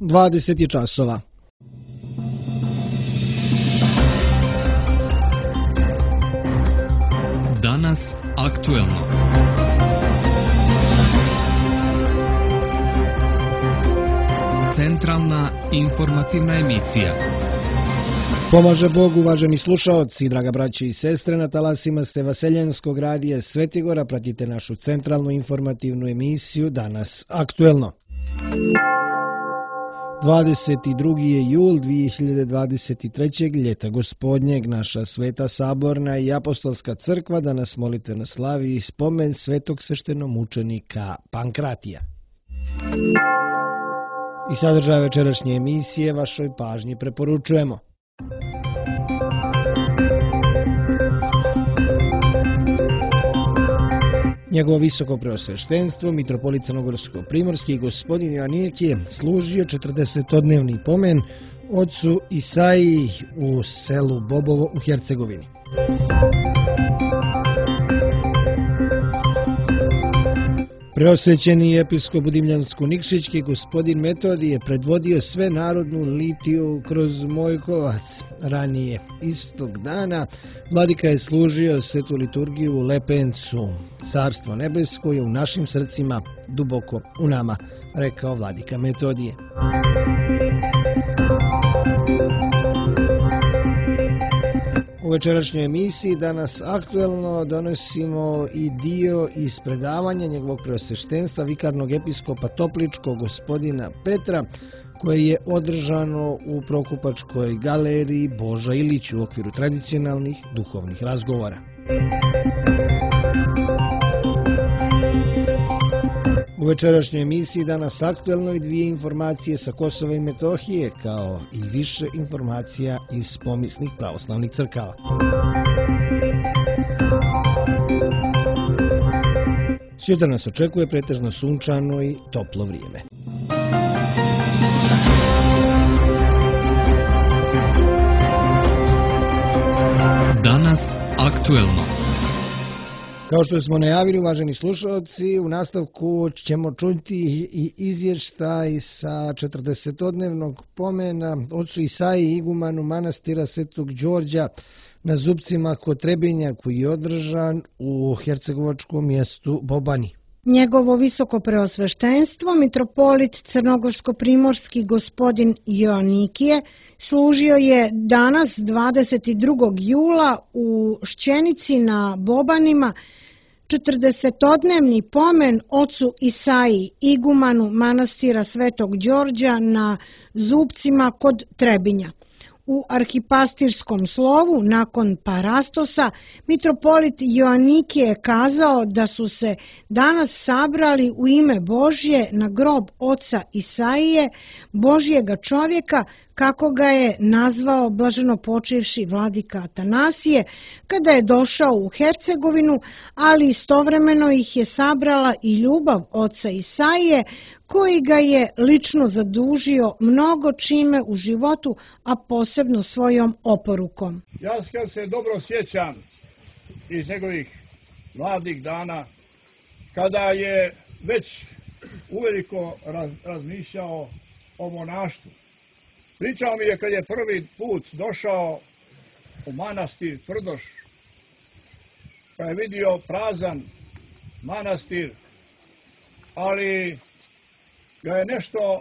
20 je časova. Danas aktuelno. Centralna informativna emisija. Pomaže Bog, uvaženi slušaoci, draga braće i sestre, na talasima ste Vaseljenskog radija Svetigora, pratite našu centralnu informativnu emisiju Danas aktuelno. 22. je jul 2023. ljeta gospodnjeg, naša sveta saborna i apostolska crkva danas molitveno slavi spomen svetog sveštenomučenika Pankratija. I sadržaj večerašnje emisije vašoj pažnji preporučujemo. Njegovo visoko preosveštenstvo, mitropolit Crnogorsko-primorski gospodin Joanikije služio 40-dnevni pomen ocu Isaiji u selu Bobovo u Hercegovini. Preosvećeni episkop Dimljansko-Nikšićki gospodin Metodij je predvodio sve narodnu litiju kroz Mojkovac. Ranije istog dana vladika je služio svetu liturgiju u Lepencu. Carstvo nebesko je u našim srcima, duboko u nama, rekao vladika Metodije. U večerašnjoj emisiji Danas aktuelno donosimo i dio iz predavanja njegovog preosveštenstva vikarnog episkopa Topličkog gospodina Petra, koje je održano u Prokupačkoj galeriji Boža Ilić u okviru tradicionalnih duhovnih razgovora. U večerašnjoj emisiji Danas aktuelno i dvije informacije sa Kosova i Metohije, kao i više informacija iz pomisnih pravoslavnih crkava. Sutra nas očekuje pretežno sunčano i toplo vrijeme. Danas aktuelno. Kao što smo najavili, uvaženi slušalci, u nastavku ćemo čuti i izvještaj sa 40-dnevnog pomena ocu Isaiji igumanu manastira Svetog Đorđa na Zupcima kod Trebinja, koji je održan u hercegovačkom mjestu Bobani. Njegovo visoko preosveštenstvo, mitropolit Crnogorsko-primorski gospodin Joanikije, služio je danas 22. jula u Šćenici na Bobanima 40-dnevni pomen ocu Isaiji igumanu manastira Svetog Đorđa na Zupcima kod Trebinja. U arhipastirskom slovu nakon parastosa mitropolit Joanikije je kazao da su se danas sabrali u ime Božje na grob oca Isaije, Božjega čovjeka, kako ga je nazvao blaženopočivši vladika Atanasije, kada je došao u Hercegovinu, ali istovremeno ih je sabrala i ljubav oca Isaije, koji ga je lično zadužio mnogo čime u životu, a posebno svojom oporukom. Ja se dobro sjećam iz njegovih mladih dana, kada je već uveliko razmišljao o monaštvu. Pričao mi je kad je prvi put došao u manastir Tvrdoš, kad je vidio prazan manastir, ali ga je nešto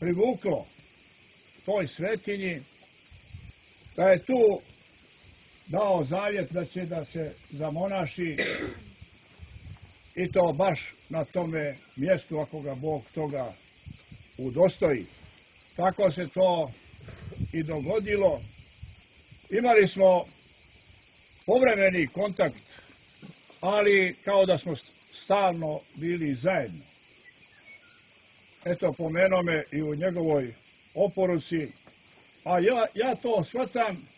privuklo toj svetinji, da je tu dao zavjet da će da se zamonaši i to baš na tome mjestu ako ga Bog toga udostoji. Tako se to i dogodilo. Imali smo povremeni kontakt, ali kao da smo stalno bili zajedno. Eto, pomenuo me i u njegovoj oporuci, a ja to shvatam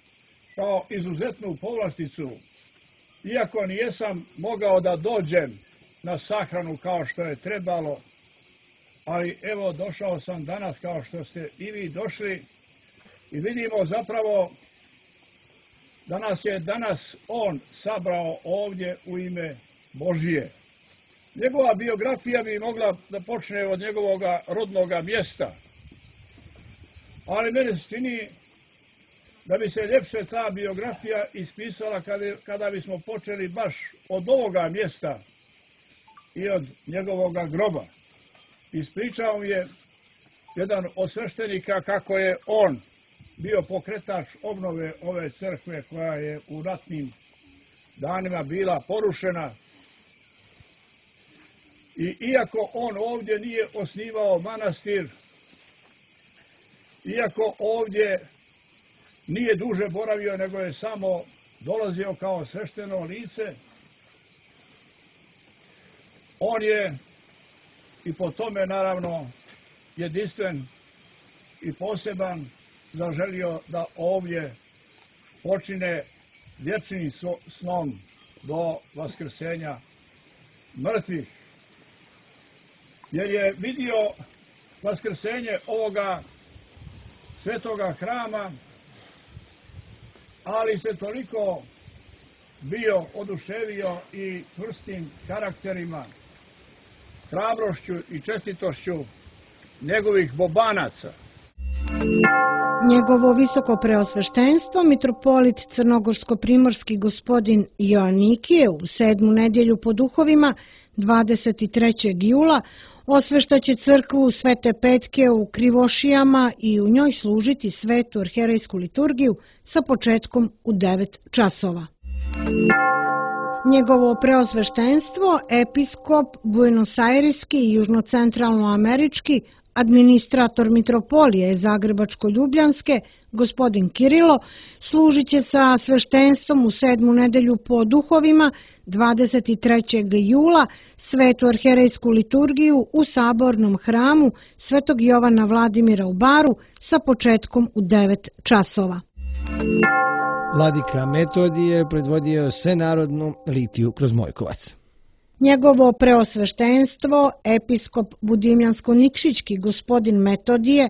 kao izuzetnu povlasticu, iako nijesam mogao da dođem na sahranu kao što je trebalo, ali evo došao sam danas kao što ste i vi došli i vidimo zapravo da nas je danas on sabrao ovdje u ime Božije. Njegova biografija bi mogla da počne od njegovog rodnog mjesta, ali meni se čini da bi se ljepše ta biografija ispisala kada bismo počeli baš od ovoga mjesta i od njegovoga groba. Ispričao je jedan od sveštenika kako je on bio pokretač obnove ove crkve koja je u ratnim danima bila porušena. I iako on ovdje nije osnivao manastir, iako ovdje nije duže boravio, nego je samo dolazio kao svešteno lice, on je i po tome naravno jedinstven i poseban zaželio da ovdje počine vječnim snom do vaskrsenja mrtvih. Jer je vidio vaskrsenje ovoga svetoga hrama, ali se toliko bio oduševio i čvrstim karakterima, hrabrošću i čestitošću njegovih bobanaca. Njegovo visoko preosveštenstvo, mitropolit crnogorsko-primorski gospodin Joanikije u 7. nedjelju po duhovima 23. jula osveštaće crkvu Svete Petke u Krivošijama i u njoj služiti svetu arherejsku liturgiju sa početkom u 9 časova. Njegovo preosveštenstvo, episkop buenosajriski i južnocentralnoamerički, administrator mitropolije Zagrebačko-Ljubljanske, gospodin Kirilo, služit će sa sveštenstvom u 7. nedjelju po duhovima 23. jula svetu arherejsku liturgiju u sabornom hramu Svetog Jovana Vladimira u Baru sa početkom u 9 časova. Vladika Metodije predvodio svenarodnu litiju kroz Mojkovac. Njegovo preosveštenstvo, episkop Budimljansko-Nikšićki gospodin Metodije,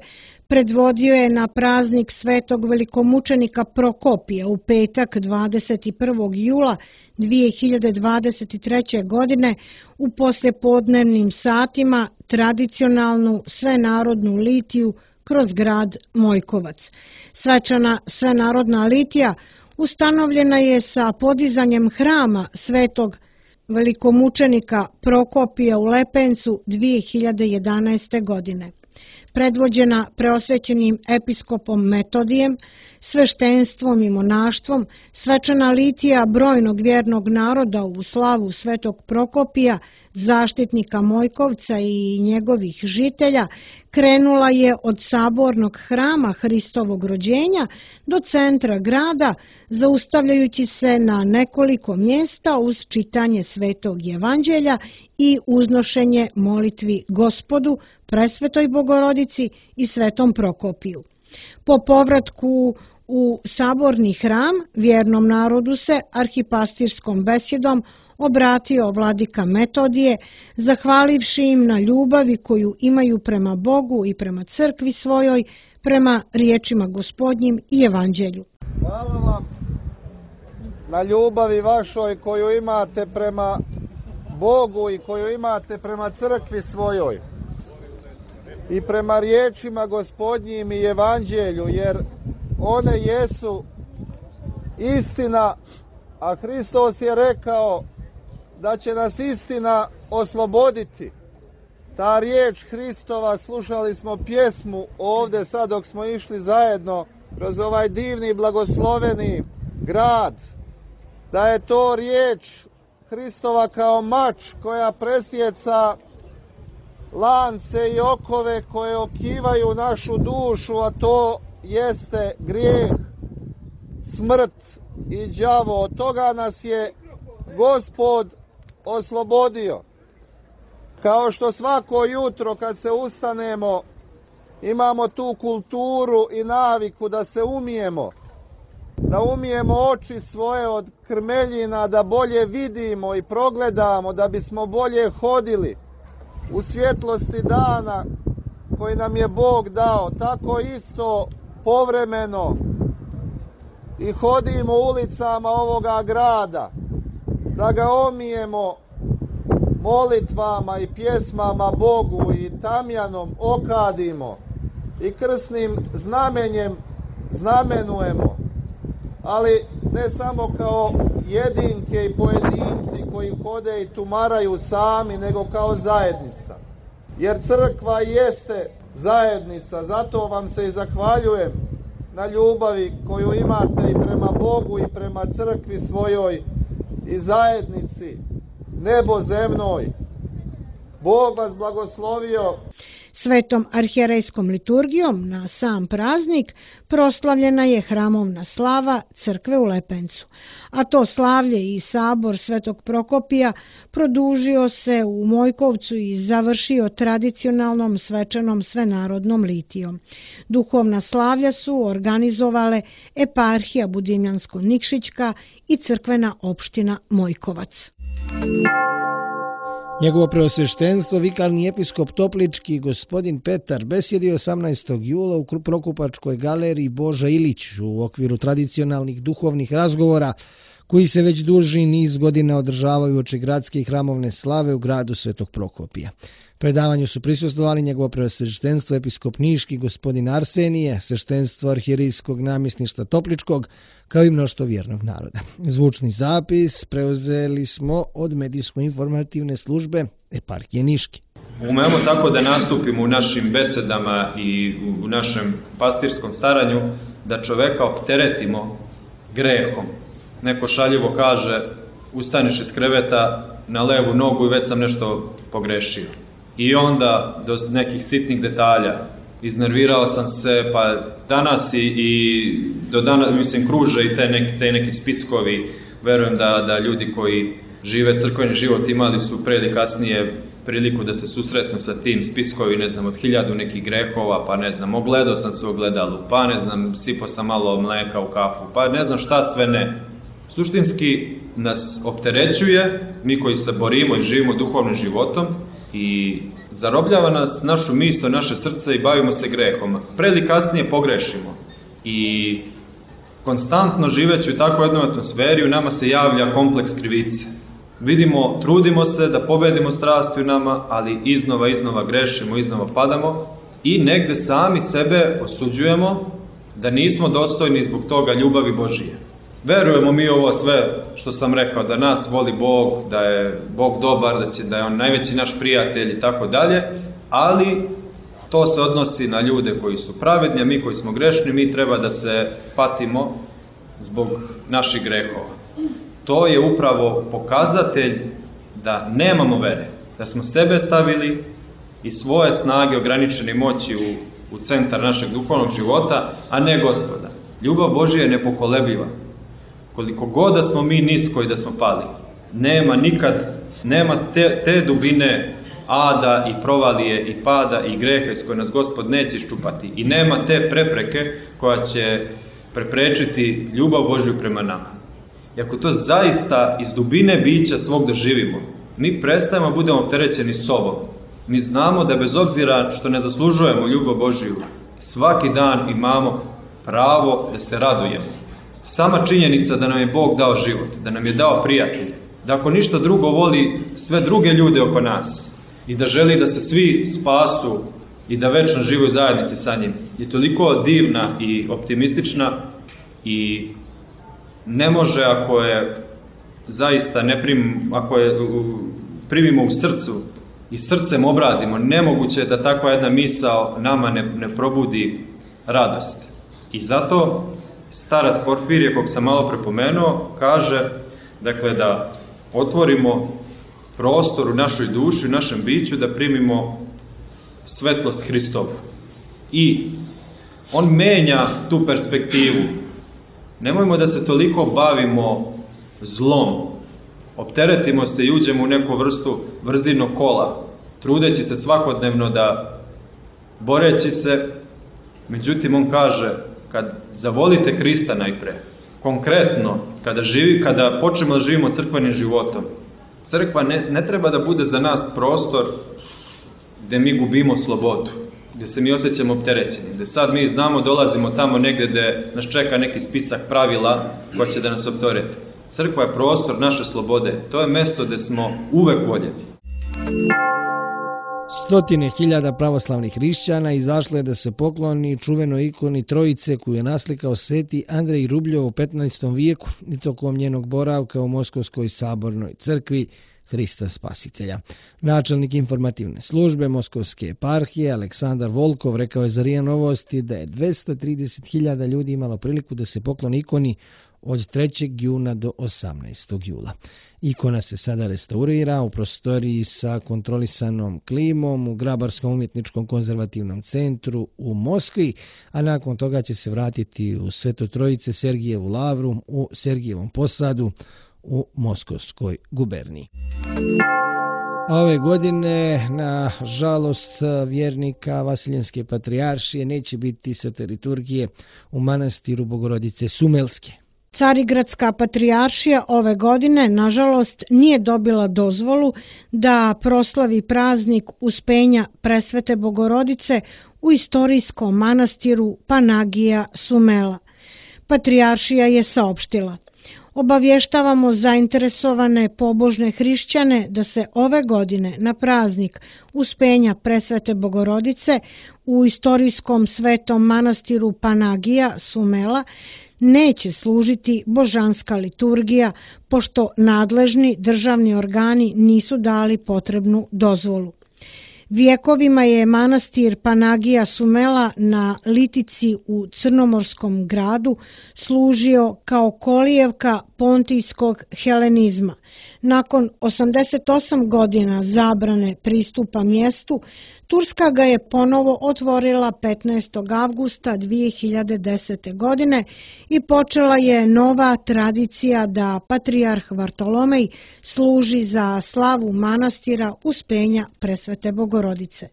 predvodio je na praznik svetog velikomučenika Prokopija u petak 21. jula 2023. godine u poslijepodnevnim satima tradicionalnu svenarodnu litiju kroz grad Mojkovac. Svečana svenarodna litija ustanovljena je sa podizanjem hrama svetog velikomučenika Prokopija u Lepencu 2011. godine. Predvođena preosvećenim episkopom Metodijem, sveštenstvom i monaštvom, svečana litija brojnog vjernog naroda u slavu svetog Prokopija, zaštitnika Mojkovca i njegovih žitelja, krenula je od sabornog hrama Hristovog rođenja do centra grada, zaustavljajući se na nekoliko mjesta uz čitanje Svetog Evanđelja i uznošenje molitvi Gospodu, Presvetoj Bogorodici i Svetom Prokopiju. Po povratku u saborni hram vjernom narodu se arhipastirskom besjedom obratio vladika Metodije, zahvalivši im na ljubavi koju imaju prema Bogu i prema crkvi svojoj, prema riječima Gospodnjim i Evanđelju. Hvala vam na ljubavi vašoj koju imate prema Bogu i koju imate prema crkvi svojoj i prema riječima Gospodnjim i Evanđelju, jer one jesu istina, a Hristos je rekao da će nas istina osloboditi. Ta riječ Hristova, slušali smo pjesmu ovdje sad dok smo išli zajedno kroz ovaj divni blagosloveni grad, da je to riječ Hristova kao mač koja presjeca lance i okove koje okivaju našu dušu, a to jeste grijeh, smrt i đavo. Od toga nas je Gospod oslobodio. Kao što svako jutro kad se ustanemo imamo tu kulturu i naviku da se umijemo, da umijemo oči svoje od krmeljina, da bolje vidimo i progledamo, da bismo bolje hodili u svjetlosti dana koji nam je Bog dao. Tako isto povremeno i hodimo ulicama ovoga grada, da ga omijemo molitvama i pjesmama Bogu i tamjanom okadimo i krsnim znamenjem znamenujemo, ali ne samo kao jedinke i pojedinci koji hode i tumaraju sami, nego kao zajednica. Jer crkva jeste zajednica, zato vam se i zahvaljujem na ljubavi koju imate i prema Bogu i prema crkvi svojoj i zajednici nebozemnoj. Bog vas blagoslovio. Svetom arhijerejskom liturgijom na sam praznik proslavljena je hramovna slava crkve u Lepencu, a to slavlje i sabor Svetog Prokopija produžio se u Mojkovcu i završio tradicionalnom svečanom svenarodnom litijom. Duhovna slavlja su organizovale eparhija Budimljansko-Nikšićka i crkvena opština Mojkovac. Njegovo preosveštenstvo, vikarni episkop Toplički, gospodin Petar, besjedio 18. jula u Prokupačkoj galeriji Boža Ilić u okviru tradicionalnih duhovnih razgovora koji se već duži niz godina održavaju uoči gradske i hramovne slave u gradu Svetog Prokopija. Predavanju su prisustvovali njegovo preosveštenstvo episkop Niški, gospodin Arsenije, sveštenstvo arhijerijskog namjesništva Topličkog, kao i mnoštvo vjernog naroda. Zvučni zapis preuzeli smo od medijsko-informativne službe eparhije Niški. Umemo tako da nastupimo u našim besedama i u našem pastirskom staranju, da čoveka opteretimo grehom. Neko šaljivo kaže, ustaniš iz kreveta na levu nogu i već sam nešto pogrešio. I onda do nekih sitnih detalja, iznervirao sam se, pa danas i do danas, mislim, kruže i te neki spickovi. Verujem da ljudi koji žive crkveni život imali su pre ili kasnije priliku da se susretnu sa tim spiskovi, ne znam, od 1000 nekih grehova, pa ne znam, ogledao sam se u ogledalu, pa ne znam, sipao sam malo mleka u kafu, pa ne znam šta sve ne. Suštinski nas opterećuje, mi koji se borimo i živimo duhovnim životom, i zarobljava nas našu misao, naše srce i bavimo se grehom. Pre ili kasnije pogrešimo. I konstantno živeći u takvoj jednoj atmosferi u nama se javlja kompleks krivice. Vidimo, trudimo se da pobedimo strasti u nama, ali iznova grešimo, iznova padamo i negde sami sebe osuđujemo da nismo dostojni zbog toga ljubavi Božije. Verujemo mi ovo sve što sam rekao, da nas voli Bog, da je Bog dobar, da je On najveći naš prijatelj i tako dalje, ali to se odnosi na ljude koji su pravedni, a mi koji smo grešni, mi treba da se patimo zbog naših grehova. To je upravo pokazatelj da nemamo vere, da smo sebe stavili i svoje snage ograničene moći u centar našeg duhovnog života, a ne Gospoda. Ljubav Božja je nepokolebljiva. Koliko god da smo mi nisko i da smo pali, nema te dubine ada i provalije i pada i greha iz koje nas Gospod neće iščupati i nema te prepreke koja će preprečiti ljubav Božju prema nama. I ako to zaista iz dubine bića svog doživimo, mi prestajemo budemo opterećeni sobom. Mi znamo da bez obzira što ne zaslužujemo ljubav Božju, svaki dan imamo pravo da se radujemo. Sama činjenica da nam je Bog dao život, da nam je dao prijatelje, da ako ništa drugo voli sve druge ljude oko nas i da želi da se svi spasu i da večno žive u zajednici sa njim, je toliko divna i optimistična i ne može ako je zaista ako je primimo u srcu i srcem obradimo, nemoguće je da takva jedna misao nama ne probudi radost. I zato starac Porfirije, kog sam malo prepomenuo, kaže da otvorimo prostor u našoj duši, u našem biću, da primimo svetlost Hristovu. I on menja tu perspektivu. Nemojmo da se toliko bavimo zlom. Opteretimo se i uđemo u neku vrstu vrzinog kola, trudeći se svakodnevno boreći se. Međutim, on kaže, kad zavolite Hrista najpre, konkretno, kada počnemo da živimo crkvenim životom, crkva ne treba da bude za nas prostor gde mi gubimo slobodu, gde se mi osjećamo opterećeni, gde sad mi znamo dolazimo tamo negde gde nas čeka neki spisak pravila koja će da nas optereti. Crkva je prostor naše slobode, to je mesto gde smo uvek voljeni. Stotine hiljada pravoslavnih hrišćana izašlo je da se pokloni čuvenoj ikoni Trojice koju je naslikao sveti Andrej Rubljov u 15. vijeku i tokom njenog boravka u Moskovskoj sabornoj crkvi Hrista Spasitelja. Načelnik informativne službe Moskovske eparhije Aleksandar Volkov rekao je za RIA Novosti da je 230.000 ljudi imalo priliku da se pokloni ikoni od 3. juna do 18. jula. Ikona se sada restaurira u prostoriji sa kontrolisanom klimom u Grabarskom umjetničkom konzervativnom centru u Moskvi, a nakon toga će se vratiti u Sveto Trojice Sergijevu lavru u Sergijevom posadu u Moskovskoj guberniji. A ove godine, na žalost vjernika Vasiljenske patrijaršije, neće biti svete liturgije u manastiru Bogorodice Sumelske. Carigradska patrijaršija ove godine, nažalost, nije dobila dozvolu da proslavi praznik Uspenja Presvete Bogorodice u istorijskom manastiru Panagija Sumela. Patrijaršija je saopštila: obavještavamo zainteresovane pobožne hrišćane da se ove godine na praznik Uspenja Presvete Bogorodice u istorijskom svetom manastiru Panagija Sumela neće služiti božanska liturgija, pošto nadležni državni organi nisu dali potrebnu dozvolu. Vjekovima je manastir Panagija Sumela na Litici u Crnomorskom gradu služio kao kolijevka pontijskog helenizma. Nakon 88 godina zabrane pristupa mjestu, Turska ga je ponovo otvorila 15. avgusta 2010. godine i počela je nova tradicija da patrijarh Vartolomej služi za slavu manastira Uspenja Presvete Bogorodice.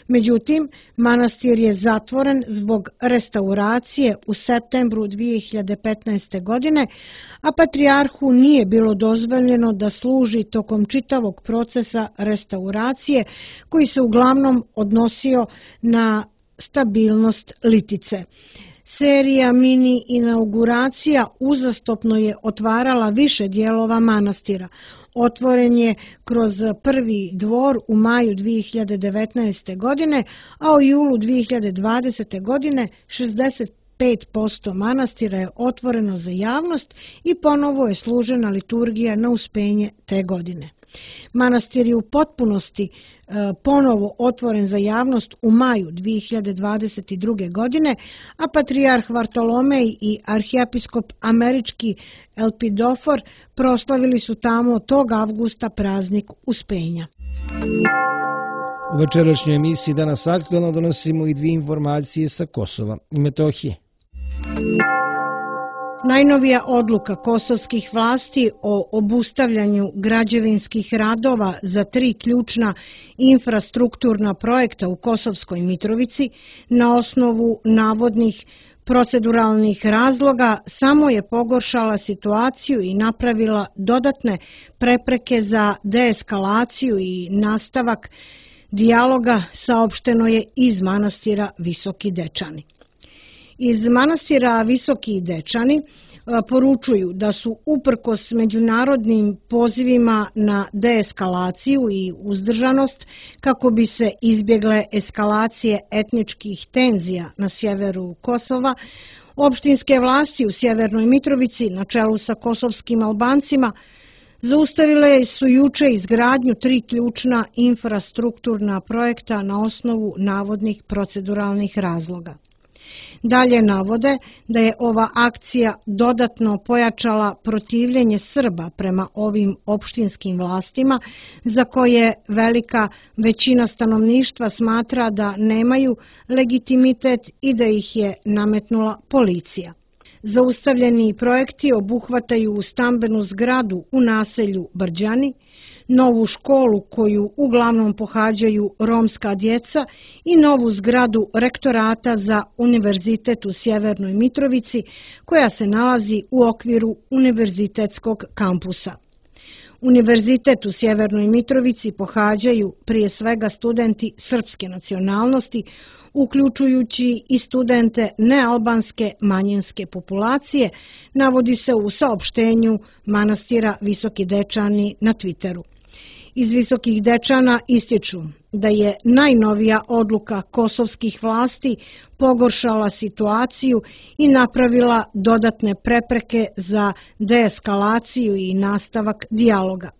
Međutim, manastir je zatvoren zbog restauracije u septembru 2015. godine, a patrijarhu nije bilo dozvoljeno da služi tokom čitavog procesa restauracije koji se uglavnom odnosio na stabilnost Litice. Serija mini inauguracija uzastopno je otvarala više dijelova manastira. Otvoren je kroz prvi dvor u maju 2019. godine, a u julu 2020. godine 65% manastira je otvoreno za javnost i ponovo je služena liturgija na Uspenje te godine. Manastir je u potpunosti ponovo otvoren za javnost u maju 2022. godine, a patrijarh Vartolomej i arhijepiskop američki Elpidofor proslavili su tamo tog avgusta praznik Uspenja. U večerašnjoj emisiji Danas aktuelno donosimo i dvije informacije sa Kosova i Metohije. Najnovija odluka kosovskih vlasti o obustavljanju građevinskih radova za 3 ključna infrastrukturna projekta u Kosovskoj Mitrovici na osnovu navodnih proceduralnih razloga samo je pogoršala situaciju i napravila dodatne prepreke za deeskalaciju i nastavak dijaloga, saopšteno je iz manastira Visoki Dečani. Iz manastira Visoki Dečani poručuju da su uprkos međunarodnim pozivima na deeskalaciju i uzdržanost kako bi se izbjegle eskalacije etničkih tenzija na sjeveru Kosova, opštinske vlasti u Sjevernoj Mitrovici na čelu sa kosovskim Albancima zaustavile su juče izgradnju 3 ključna infrastrukturna projekta na osnovu navodnih proceduralnih razloga. Dalje navode da je ova akcija dodatno pojačala protivljenje Srba prema ovim opštinskim vlastima, za koje velika većina stanovništva smatra da nemaju legitimitet i da ih je nametnula policija. Zaustavljeni projekti obuhvataju stambenu zgradu u naselju Brđani, novu školu koju uglavnom pohađaju romska djeca i novu zgradu rektorata za Univerzitet u Sjevernoj Mitrovici koja se nalazi u okviru univerzitetskog kampusa. Univerzitet u Sjevernoj Mitrovici pohađaju prije svega studenti srpske nacionalnosti, uključujući i studente nealbanske manjinske populacije, navodi se u saopštenju manastira Visoki Dečani na Twitteru. Iz Visokih Dečana ističu da je najnovija odluka kosovskih vlasti pogoršala situaciju i napravila dodatne prepreke za deeskalaciju i nastavak dijaloga.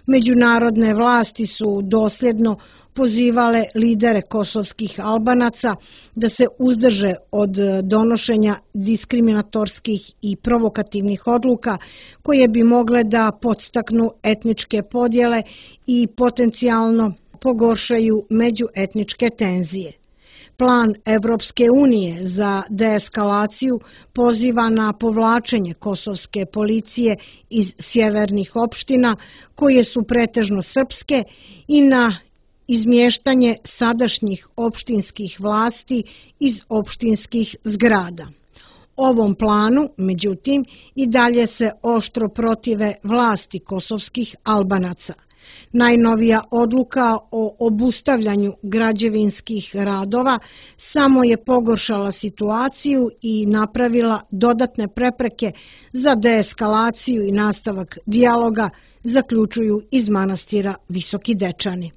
Međunarodne vlasti su dosljedno pozivale lidere kosovskih Albanaca da se uzdrže od donošenja diskriminatorskih i provokativnih odluka koje bi mogle da podstaknu etničke podjele i potencijalno pogoršaju međuetničke tenzije. Plan Evropske unije za deeskalaciju poziva na povlačenje kosovske policije iz sjevernih opština koje su pretežno srpske i na izmještanje sadašnjih opštinskih vlasti iz opštinskih zgrada. Ovom planu, međutim, i dalje se oštro protive vlasti kosovskih Albanaca. Najnovija odluka o obustavljanju građevinskih radova samo je pogoršala situaciju i napravila dodatne prepreke za deeskalaciju i nastavak dijaloga, zaključuju iz manastira Visoki Dečani.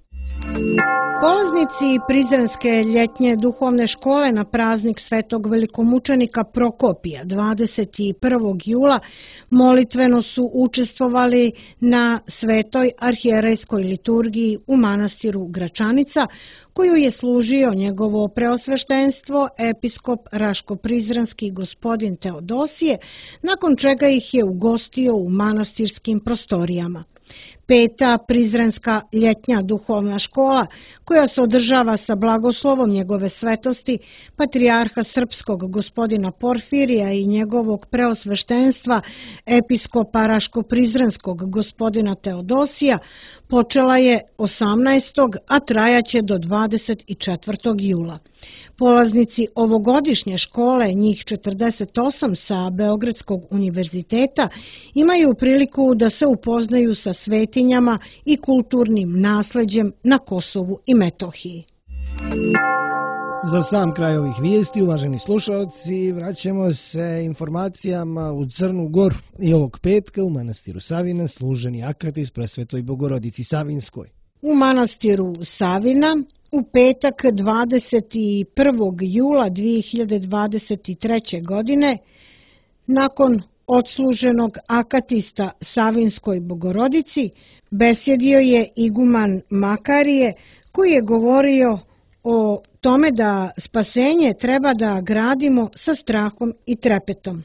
Polaznici Prizrenske ljetnje duhovne škole na praznik svetog velikomučenika Prokopija 21. jula molitveno su učestvovali na svetoj arhijerejskoj liturgiji u manastiru Gračanica, koju je služio njegovo preosveštenstvo episkop Raško-Prizrenski gospodin Teodosije, nakon čega ih je ugostio u manastirskim prostorijama. Peta Prizrenska ljetnja duhovna škola, koja se održava sa blagoslovom njegove svetosti, patrijarha srpskog gospodina Porfirija i njegovog preosveštenstva, episkopa Raško-Prizrenskog gospodina Teodosija, počela je 18. a trajaće do 24. jula. Polaznici ovogodišnje škole, njih 48 sa Beogradskog univerziteta, imaju priliku da se upoznaju sa svetinjama i kulturnim nasleđem na Kosovu i Metohiji. Za sam kraj ovih vijesti, uvaženi slušalci, vraćamo se informacijama u Crnu Goru i ovog petka u manastiru Savina služeni akatis presvetoj Bogorodici Savinskoj. U manastiru Savina u petak 21. jula 2023. godine, nakon odsluženog akatista Savinskoj Bogorodici, besjedio je iguman Makarije, koji je govorio o tome da spasenje treba da gradimo sa strahom i trepetom.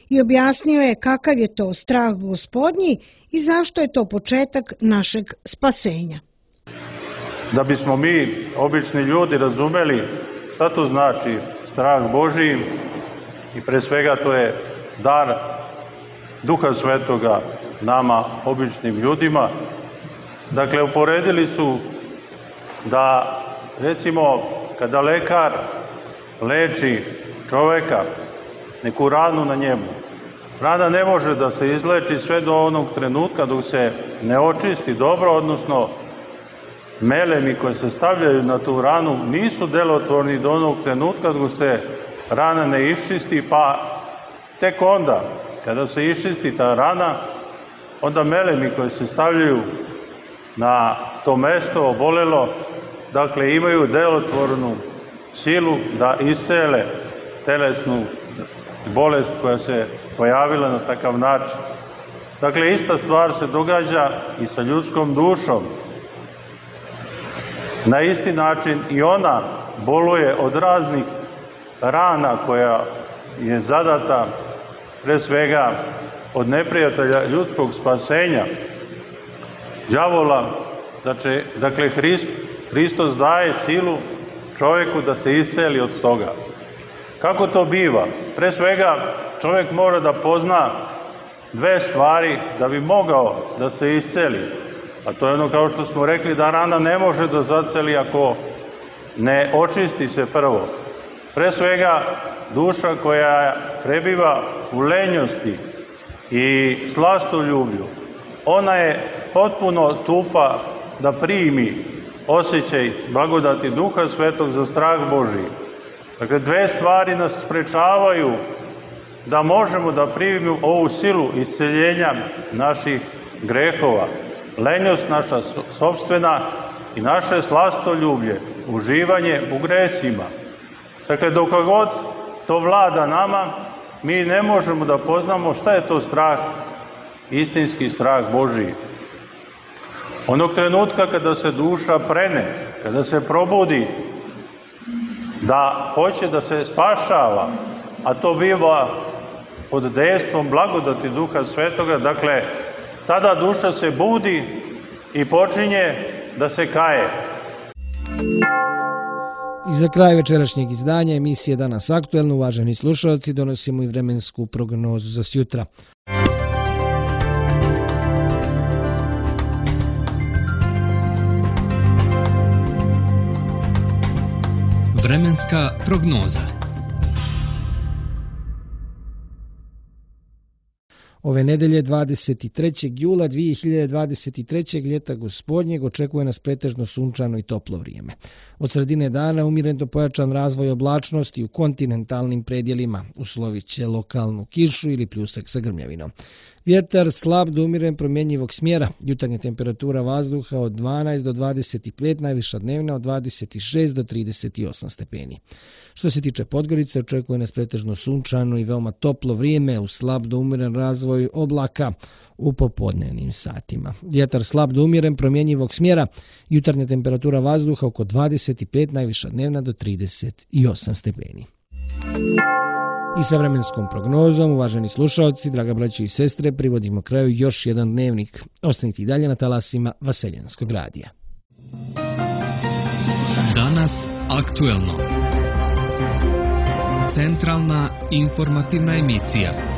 I objasnio je kakav je to strah Gospodnji i zašto je to početak našeg spasenja. Da bismo mi, obični ljudi, razumeli šta to znači strah Božiji i pre svega to je dar Duha Svetoga nama, običnim ljudima. Dakle, uporedili su da, recimo, kada lekar leči čoveka, neku ranu na njemu, rana ne može da se izleči sve do onog trenutka dok se ne očisti dobro, odnosno melemi koje se stavljaju na tu ranu nisu delotvorni do onog trenutka dok se rana ne iščisti, pa tek onda, kada se iščisti ta rana, onda melemi koje se stavljaju na to mesto obolelo, dakle imaju delotvornu silu da iscele telesnu bolest koja se pojavila na takav način. Dakle, ista stvar se događa i sa ljudskom dušom. Na isti način i ona boluje od raznih rana koja je zadata pre svega od neprijatelja ljudskog spasenja, đavola. Dakle, Hristos daje silu čovjeku da se isceli od toga. Kako to biva? Pre svega čovjek mora da pozna dve stvari da bi mogao da se isceli. A to je ono, kao što smo rekli, da rana ne može da zaceli ako ne očisti se prvo. Pre svega duša koja prebiva u lenjosti i slastoljublju, ona je potpuno tupa da primi osjećaj blagodati Duha Svetog za strah Božiji. Dakle, dve stvari nas sprečavaju da možemo da primimo ovu silu isceljenja naših grehova. lenjost naša sopstvena i naše slastoljublje, uživanje u gresima. Dakle, dok god to vlada nama, mi ne možemo da poznamo šta je to strah, istinski strah Božiji. Onog trenutka kada se duša prene, kada se probudi, da hoće da se spašava, a to biva pod dejstvom blagodati Duha Svetoga, dakle, tada duša se budi i počinje da se kaje. I za kraj večerašnjeg izdanja emisije Danas aktuelno, uvaženi slušalci, donosimo i vremensku prognozu za sjutra. Vremenska prognoza. Ove nedelje 23. jula 2023. ljeta gospodnjeg očekuje nas pretežno sunčano i toplo vrijeme. Od sredine dana umjereno pojačan razvoj oblačnosti u kontinentalnim predjelima, uslovit će lokalnu kišu ili pljusak sa grmljavinom. Vjetar slab do umjeren promjenjivog smjera, jutarnja temperatura vazduha od 12 do 25, najviša dnevna od 26 do 38 stepeni. Što se tiče Podgorice, očekuje nas pretežno sunčano i veoma toplo vrijeme u slab do umjeren razvoj oblaka u popodnevnim satima. Vjetar slab do umjeren promjenjivog smjera, jutarnja temperatura vazduha oko 25, najviša dnevna do 38 stepeni. I sa vremenskom prognozom, uvaženi slušalci, draga braćo i sestre, privodimo kraju još jedan dnevnik. Ostanite i dalje na talasima Vaseljanskog radija. Danas aktuelno. Centralna informativna emisija.